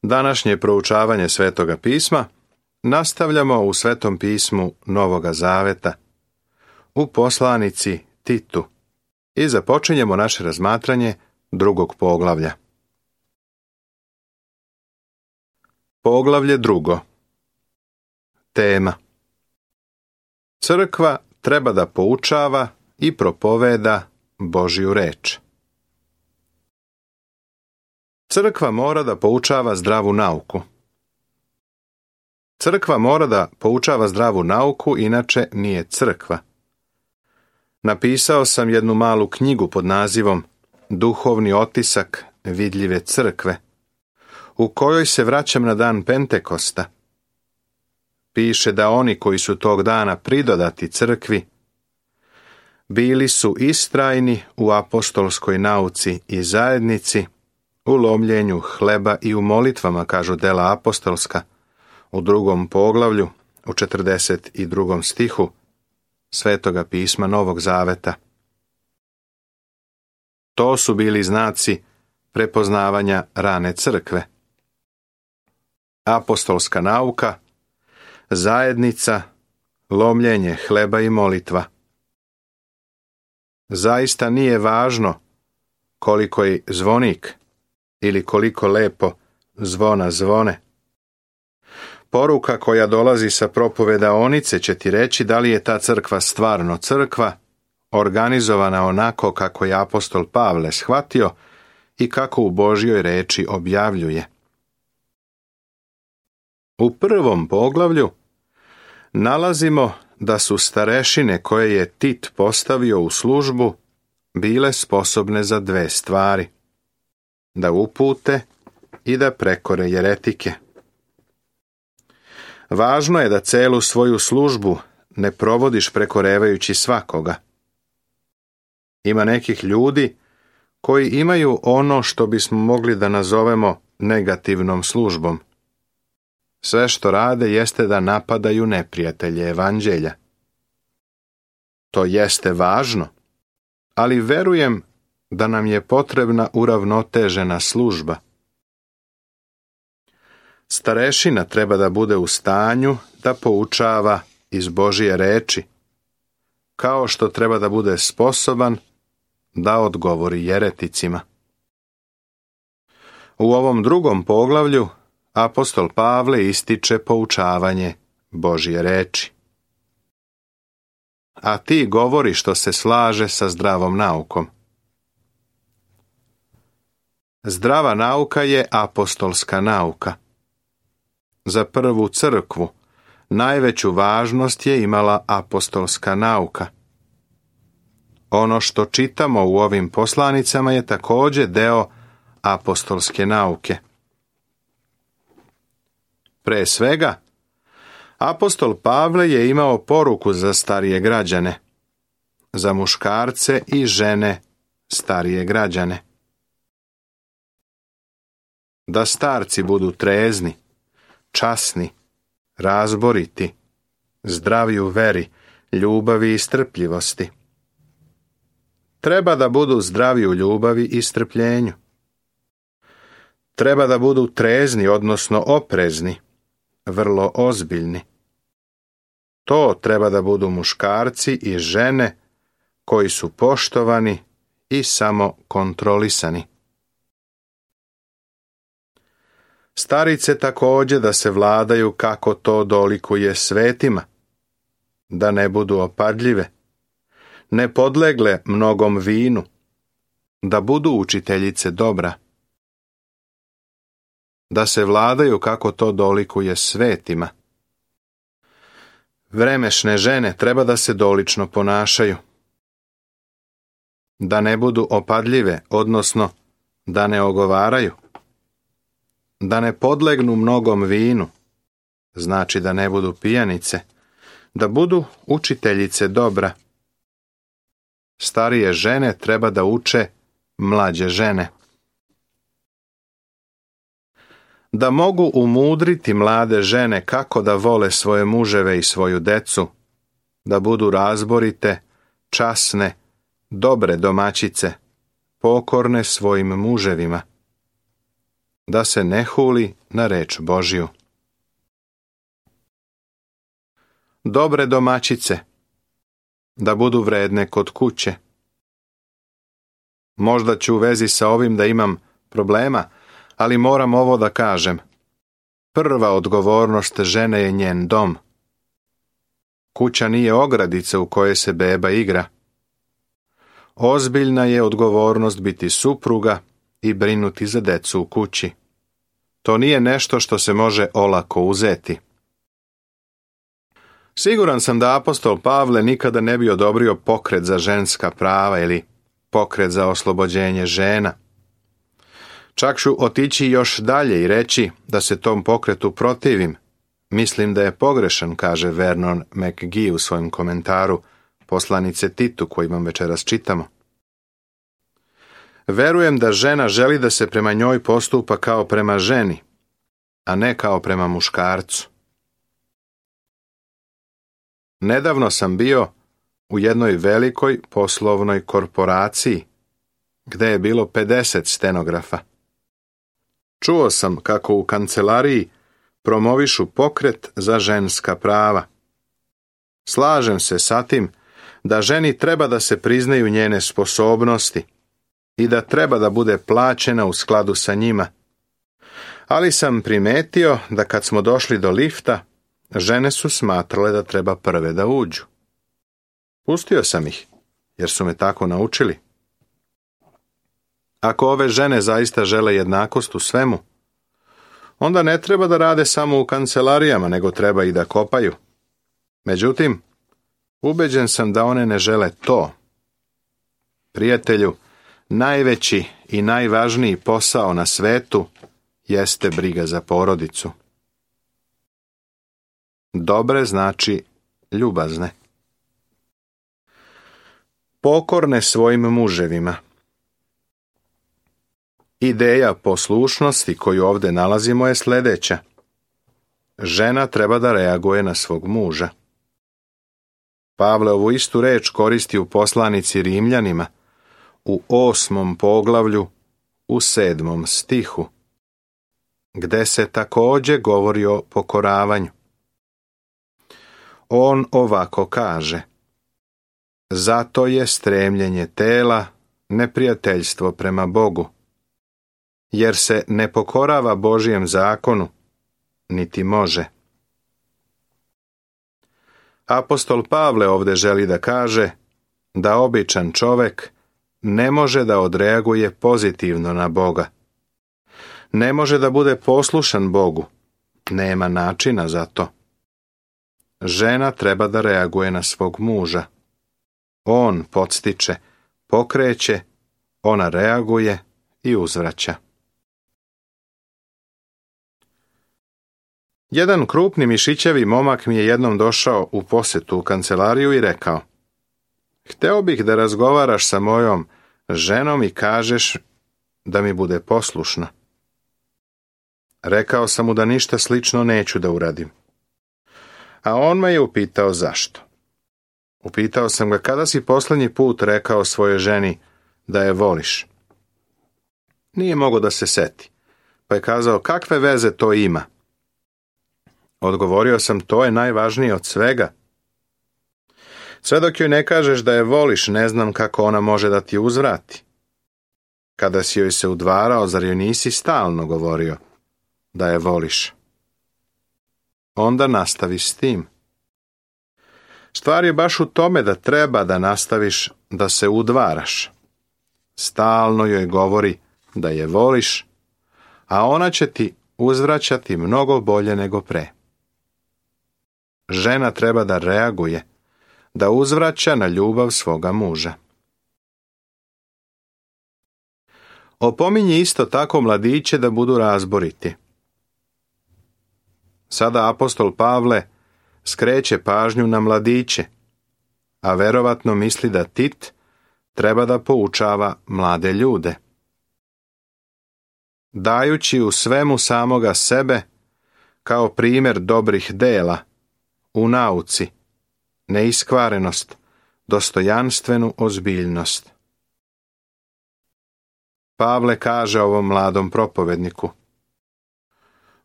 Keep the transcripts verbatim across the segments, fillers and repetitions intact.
Današnje proučavanje Svetoga pisma nastavljamo u Svetom pismu Novoga Zaveta, u poslanici Titu, i započinjemo naše razmatranje drugog poglavlja. Poglavlje drugo. Tema: Crkva treba da poučava i propoveda Božju reč. Crkva mora da poučava zdravu nauku. Crkva mora da poučava zdravu nauku, inače nije crkva. Napisao sam jednu malu knjigu pod nazivom Duhovni otisak vidljive crkve, u kojoj se vraćam na dan Pentekosta. Piše da oni koji su tog dana pridodati crkvi bili su istrajni u apostolskoj nauci i zajednici, u lomljenju hleba i u molitvama, kažu dela apostolska, u drugom poglavlju, u četrdeset drugom stihu Svetoga pisma Novog Zaveta. To su bili znaci prepoznavanja rane crkve. Apostolska nauka, zajednica, lomljenje hleba i molitva. Zaista nije važno koliko je zvonik ili koliko lepo zvona zvone. Poruka koja dolazi sa propovedaonice će ti reći da li je ta crkva stvarno crkva, organizovana onako kako je apostol Pavle shvatio i kako u Božjoj reči objavljuje. U prvom poglavlju nalazimo da su starešine koje je Tit postavio u službu bile sposobne za dve stvari: da upute i da prekore jeretike. Važno je da celu svoju službu ne provodiš prekorevajući svakoga. Ima nekih ljudi koji imaju ono što bismo mogli da nazovemo negativnom službom. Sve što rade jeste da napadaju neprijatelje evanđelja. To jeste važno, ali verujem da nam je potrebna uravnotežena služba. Starešina treba da bude u stanju da poučava iz Božje reči, kao što treba da bude sposoban da odgovori jereticima. U ovom drugom poglavlju apostol Pavle ističe poučavanje Božje reči. A ti govori što se slaže sa zdravom naukom. Zdrava nauka je apostolska nauka. Za prvu crkvu najveću važnost je imala apostolska nauka. Ono što čitamo u ovim poslanicama je također deo apostolske nauke. Pre svega, apostol Pavle je imao poruku za starije građane, za muškarce i žene starije građane. Da starci budu trezni, časni, razboriti, zdravi u veri, ljubavi i strpljivosti. Treba da budu zdravi u ljubavi i strpljenju. Treba da budu trezni, odnosno oprezni, vrlo ozbiljni. To treba da budu muškarci i žene koji su poštovani i samo kontrolisani. Starice također da se vladaju kako to dolikuje svetima, da ne budu opadljive, ne podlegle mnogom vinu, da budu učiteljice dobra, da se vladaju kako to dolikuje svetima. Vremešne žene treba da se dolično ponašaju, da ne budu opadljive, odnosno da ne ogovaraju, da ne podlegnu mnogom vinu, znači da ne budu pijanice, da budu učiteljice dobra. Starije žene treba da uče mlađe žene. Da mogu umudriti mlade žene kako da vole svoje muževe i svoju decu, da budu razborite, časne, dobre domaćice, pokorne svojim muževima, da se ne huli na reč Božju. Dobre domaćice, da budu vredne kod kuće. Možda ću u vezi sa ovim da imam problema, ali moram ovo da kažem. Prva odgovornost žene je njen dom. Kuća nije ogradica u kojoj se beba igra. Ozbiljna je odgovornost biti supruga i brinuti za decu u kući. To nije nešto što se može olako uzeti. Siguran sam da apostol Pavle nikada ne bi odobrio pokret za ženska prava ili pokret za oslobođenje žena. Čak ću otići još dalje i reći da se tom pokretu protivim. Mislim da je pogrešan, kaže Vernon McGee u svojem komentaru poslanice Titu koju vam večeras čitamo. Verujem da žena želi da se prema njoj postupa kao prema ženi, a ne kao prema muškarcu. Nedavno sam bio u jednoj velikoj poslovnoj korporaciji, gde je bilo pedeset stenografa. Čuo sam kako u kancelariji promovišu pokret za ženska prava. Slažem se sa tim da ženi treba da se priznaju njene sposobnosti i da treba da bude plaćena u skladu sa njima. Ali sam primetio da kad smo došli do lifta, žene su smatrale da treba prve da uđu. Pustio sam ih, jer su me tako naučili. Ako ove žene zaista žele jednakost u svemu, onda ne treba da rade samo u kancelarijama, nego treba i da kopaju. Međutim, ubeđen sam da one ne žele to. Prijatelju, najveći i najvažniji posao na svetu jeste briga za porodicu. Dobre znači ljubazne. Pokorne svojim muževima. Ideja poslušnosti koju ovdje nalazimo je sljedeća. Žena treba da reaguje na svog muža. Pavle ovu istu reč koristi u poslanici Rimljanima, u osmom poglavlju, u sedmom stihu, gde se također govori o pokoravanju. On ovako kaže: zato je stremljenje tela neprijateljstvo prema Bogu, jer se ne pokorava Božjem zakonu, niti može. Apostol Pavle ovdje želi da kaže da običan čovek ne može da odreaguje pozitivno na Boga. Ne može da bude poslušan Bogu. Nema načina za to. Žena treba da reaguje na svog muža. On podstiče, pokreće, ona reaguje i uzvraća. Jedan krupni mišićevi momak mi je jednom došao u posetu u kancelariju i rekao: hteo bih da razgovaraš sa mojom ženom i kažeš da mi bude poslušna. Rekao sam mu da ništa slično neću da uradim. A on me je upitao zašto. Upitao sam ga kada si posljednji put rekao svojoj ženi da je voliš. Nije mogao da se seti, pa je kazao: kakve veze to ima? Odgovorio sam: to je najvažnije od svega. Sve dok joj ne kažeš da je voliš, ne znam kako ona može da ti uzvrati. Kada si joj se udvarao, zar joj nisi stalno govorio da je voliš? Onda nastavi s tim. Stvar je baš u tome da treba da nastaviš da se udvaraš. Stalno joj govori da je voliš, a ona će ti uzvraćati mnogo bolje nego pre. Žena treba da reaguje, da uzvraća na ljubav svoga muža. Opominji isto tako mladiće da budu razboriti. Sada apostol Pavle skreće pažnju na mladiće, a verovatno misli da Tit treba da poučava mlade ljude. Dajući u svemu samoga sebe kao primjer dobrih dela, u nauci, neiskvarenost, dostojanstvenu ozbiljnost. Pavle kaže ovom mladom propovedniku: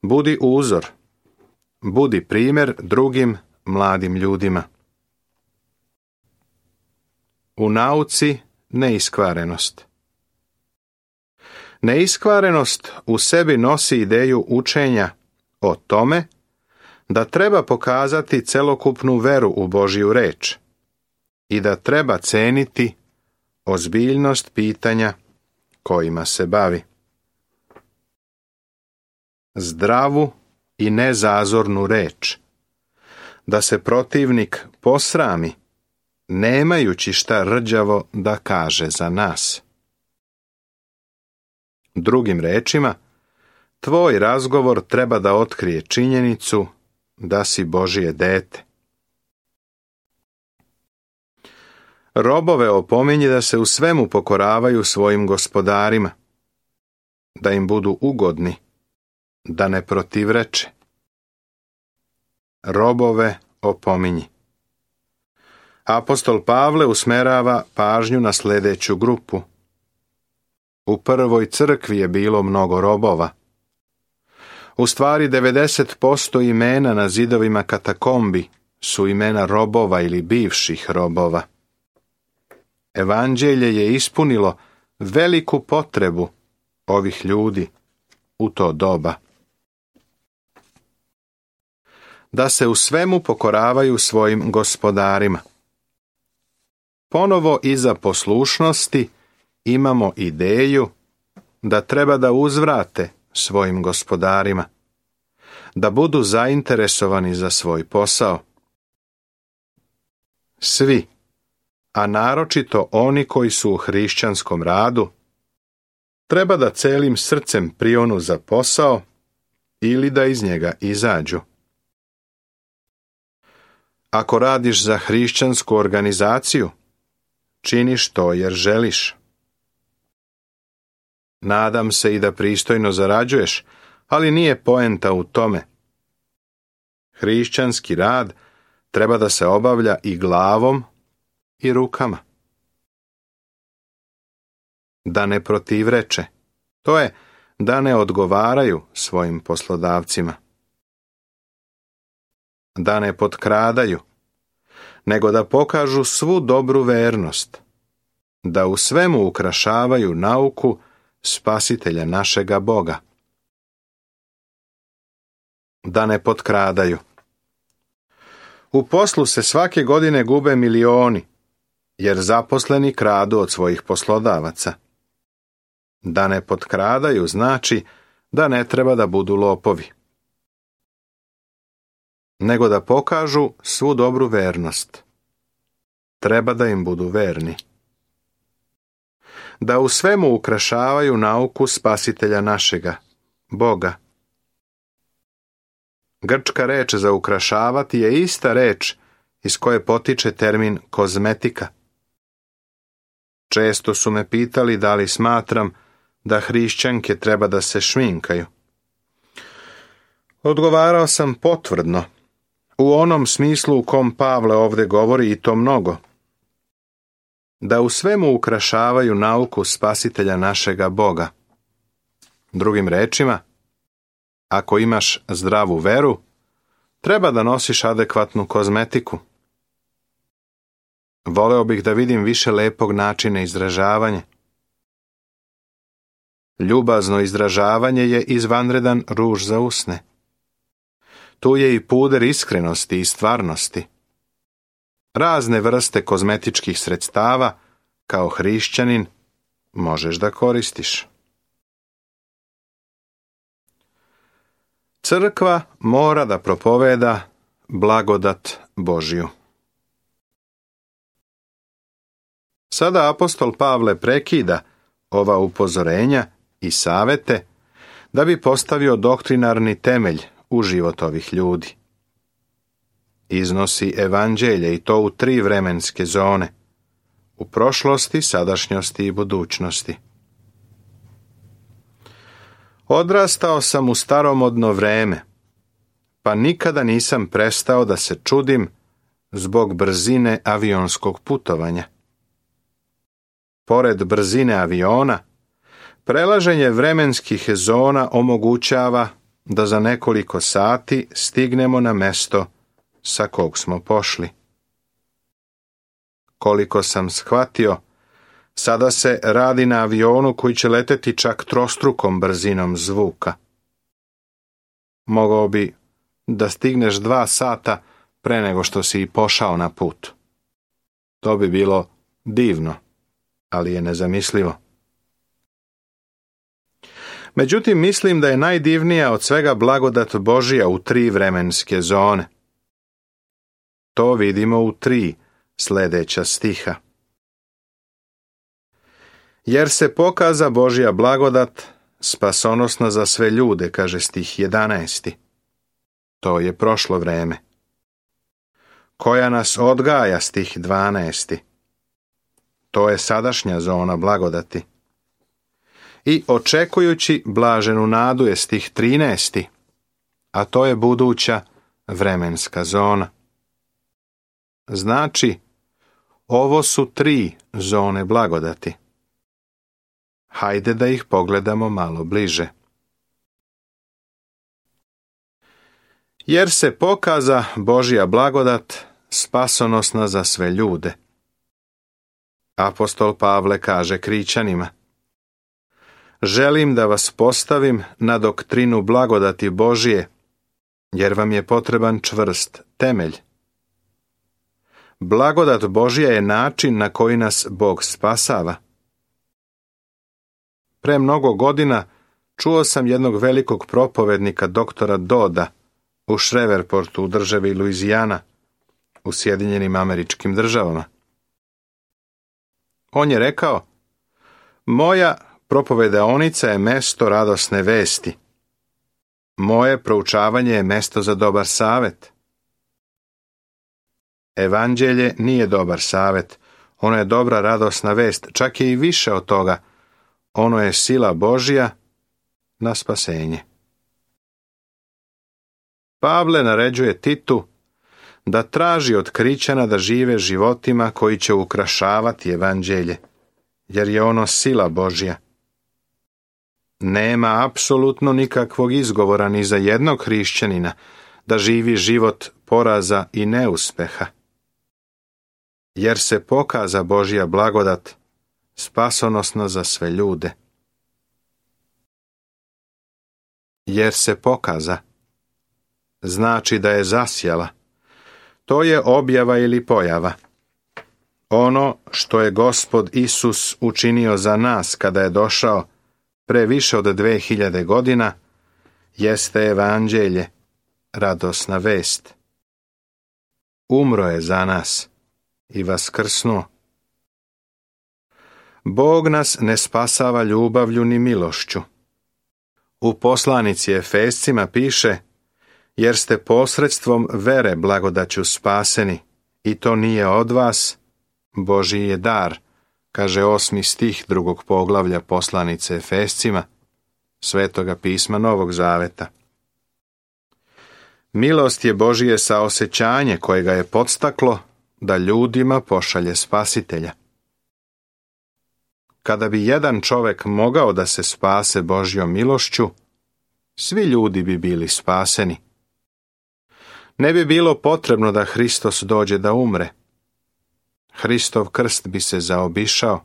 Budi uzor. Budi primjer drugim mladim ljudima. U nauci neiskvarenost. Neiskvarenost u sebi nosi ideju učenja o tome da treba pokazati celokupnu veru u Božju reč i da treba ceniti ozbiljnost pitanja kojima se bavi. Zdravu i nezazornu reč, da se protivnik posrami, nemajući šta rđavo da kaže za nas. Drugim rečima, tvoj razgovor treba da otkrije činjenicu da si Božje dete. Robove opominji da se u svemu pokoravaju svojim gospodarima, da im budu ugodni, da ne protivreče. Robove opominji. Apostol Pavle usmerava pažnju na sljedeću grupu. U prvoj crkvi je bilo mnogo robova. U stvari devedeset posto imena na zidovima katakombi su imena robova ili bivših robova. Evanđelje je ispunilo veliku potrebu ovih ljudi u to doba. Da se u svemu pokoravaju svojim gospodarima. Ponovo iza poslušnosti imamo ideju da treba da uzvrate svojim gospodarima, da budu zainteresovani za svoj posao. Svi, a naročito oni koji su u hrišćanskom radu, treba da celim srcem prionu za posao ili da iz njega izađu. Ako radiš za hrišćansku organizaciju, činiš to jer želiš. Nadam se i da pristojno zarađuješ, ali nije poenta u tome. Hrišćanski rad treba da se obavlja i glavom i rukama. Da ne protivreče, to je da ne odgovaraju svojim poslodavcima. Da ne potkradaju, nego da pokažu svu dobru vernost, da u svemu ukrašavaju nauku Spasitelja našega Boga. Da ne potkradaju. U poslu se svake godine gube milioni, jer zaposleni kradu od svojih poslodavaca. Da ne potkradaju znači da ne treba da budu lopovi, nego da pokažu svu dobru vernost. Treba da im budu verni. Da u svemu ukrašavaju nauku Spasitelja našega, Boga. Grčka reč za ukrašavati je ista reč iz koje potiče termin kozmetika. Često su me pitali da li smatram da hrišćanke treba da se šminkaju. Odgovarao sam potvrdno, u onom smislu u kom Pavle ovdje govori i to mnogo. Da u svemu ukrašavaju nauku Spasitelja našega Boga. Drugim rečima, ako imaš zdravu veru, treba da nosiš adekvatnu kozmetiku. Voleo bih da vidim više lepog načina izražavanja. Ljubazno izražavanje je izvanredan ruž za usne. Tu je i puder iskrenosti i stvarnosti. Razne vrste kozmetičkih sredstava, kao hrišćanin, možeš da koristiš. Crkva mora da propoveda blagodat Božju. Sada apostol Pavle prekida ova upozorenja i savete da bi postavio doktrinarni temelj u život ovih ljudi. Iznosi evanđelje i to u tri vremenske zone, u prošlosti, sadašnjosti i budućnosti. Odrastao sam u staromodno vreme, pa nikada nisam prestao da se čudim zbog brzine avionskog putovanja. Pored brzine aviona, prelaženje vremenskih zona omogućava da za nekoliko sati stignemo na mesto sa kog smo pošli. Koliko sam shvatio, sada se radi na avionu koji će leteti čak trostrukom brzinom zvuka. Mogao bi da stigneš dva sata pre nego što si i pošao na put. To bi bilo divno, ali je nezamislivo. Međutim, mislim da je najdivnija od svega blagodat Božija u tri vremenske zone. To vidimo u tri sljedeća stiha. Jer se pokaza Božja blagodat spasonosna za sve ljude, kaže stih jedanaesti. To je prošlo vreme. Koja nas odgaja, stih dvanaesti. To je sadašnja zona blagodati. I očekujući blaženu nadu je stih trinaesti, a to je buduća vremenska zona. Znači, ovo su tri zone blagodati. Hajde da ih pogledamo malo bliže. Jer se pokaza Božja blagodat spasonosna za sve ljude. Apostol Pavle kaže Krićanima: želim da vas postavim na doktrinu blagodati Božije, jer vam je potreban čvrst temelj. Blagodat Božja je način na koji nas Bog spasava. Pre mnogo godina čuo sam jednog velikog propovednika doktora Doda u Shreveportu u državi Luizijana u Sjedinjenim Američkim Državama. On je rekao: moja propovedaonica je mesto radosne vesti. Moje proučavanje je mesto za dobar savet. Evanđelje nije dobar savet, ono je dobra radosna vest, čak je i više od toga. Ono je sila Božja na spasenje. Pavle naređuje Titu da traži od Krićana da žive životima koji će ukrašavati evanđelje, jer je ono sila Božja. Nema apsolutno nikakvog izgovora ni za jednog hrišćanina da živi život poraza i neuspeha. Jer se pokaza Božja blagodat spasonosna za sve ljude. Jer se pokaza znači da je zasjala. To je objava ili pojava. Ono što je Gospod Isus učinio za nas kada je došao pre više od dve hiljade godina jeste evanđelje, radosna vest. Umro je za nas i vaskrsnuo. Bog nas ne spasava ljubavlju ni milošću. U poslanici Efescima piše: jer ste posredstvom vere blagodaću spaseni, i to nije od vas, Božji je dar, kaže osmi stih drugog poglavlja poslanice Efescima, Svetoga pisma Novog Zaveta. Milost je Božije saosećanje koje ga je podstaklo da ljudima pošalje spasitelja. Kada bi jedan čovjek mogao da se spase Božjom milošću, svi ljudi bi bili spaseni. Ne bi bilo potrebno da Hristos dođe da umre. Hristov krst bi se zaobišao.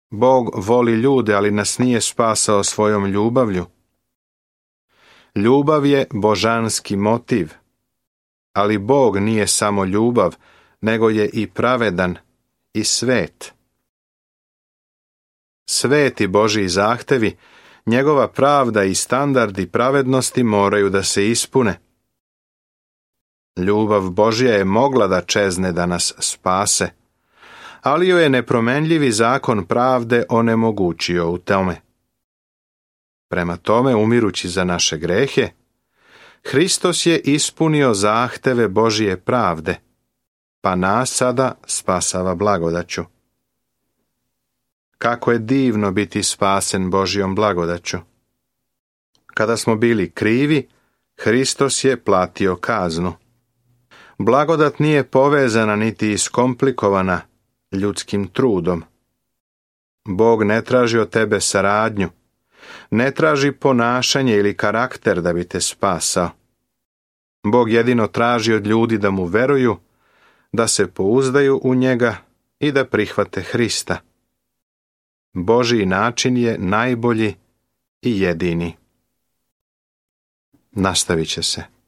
Bog voli ljude, ali nas nije spasao svojom ljubavlju. Ljubav je božanski motiv, ali Bog nije samo ljubav, nego je i pravedan i svet. Sveti Božji zahtevi, njegova pravda i standardi pravednosti moraju da se ispune. Ljubav Božja je mogla da čezne da nas spase, ali joj je nepromenljivi zakon pravde onemogućio u tome. Prema tome, umirući za naše grehe, Hristos je ispunio zahteve Božje pravde, pa nas sada spasava blagodaću. Kako je divno biti spasen Božjom blagodaću. Kada smo bili krivi, Hristos je platio kaznu. Blagodat nije povezana niti iskomplikovana ljudskim trudom. Bog ne traži od tebe saradnju, Ne traži ponašanje ili karakter da bi te spasao. Bog jedino traži od ljudi da mu veruju, da se pouzdaju u njega i da prihvate Hrista. Božji način je najbolji i jedini. Nastavit će se.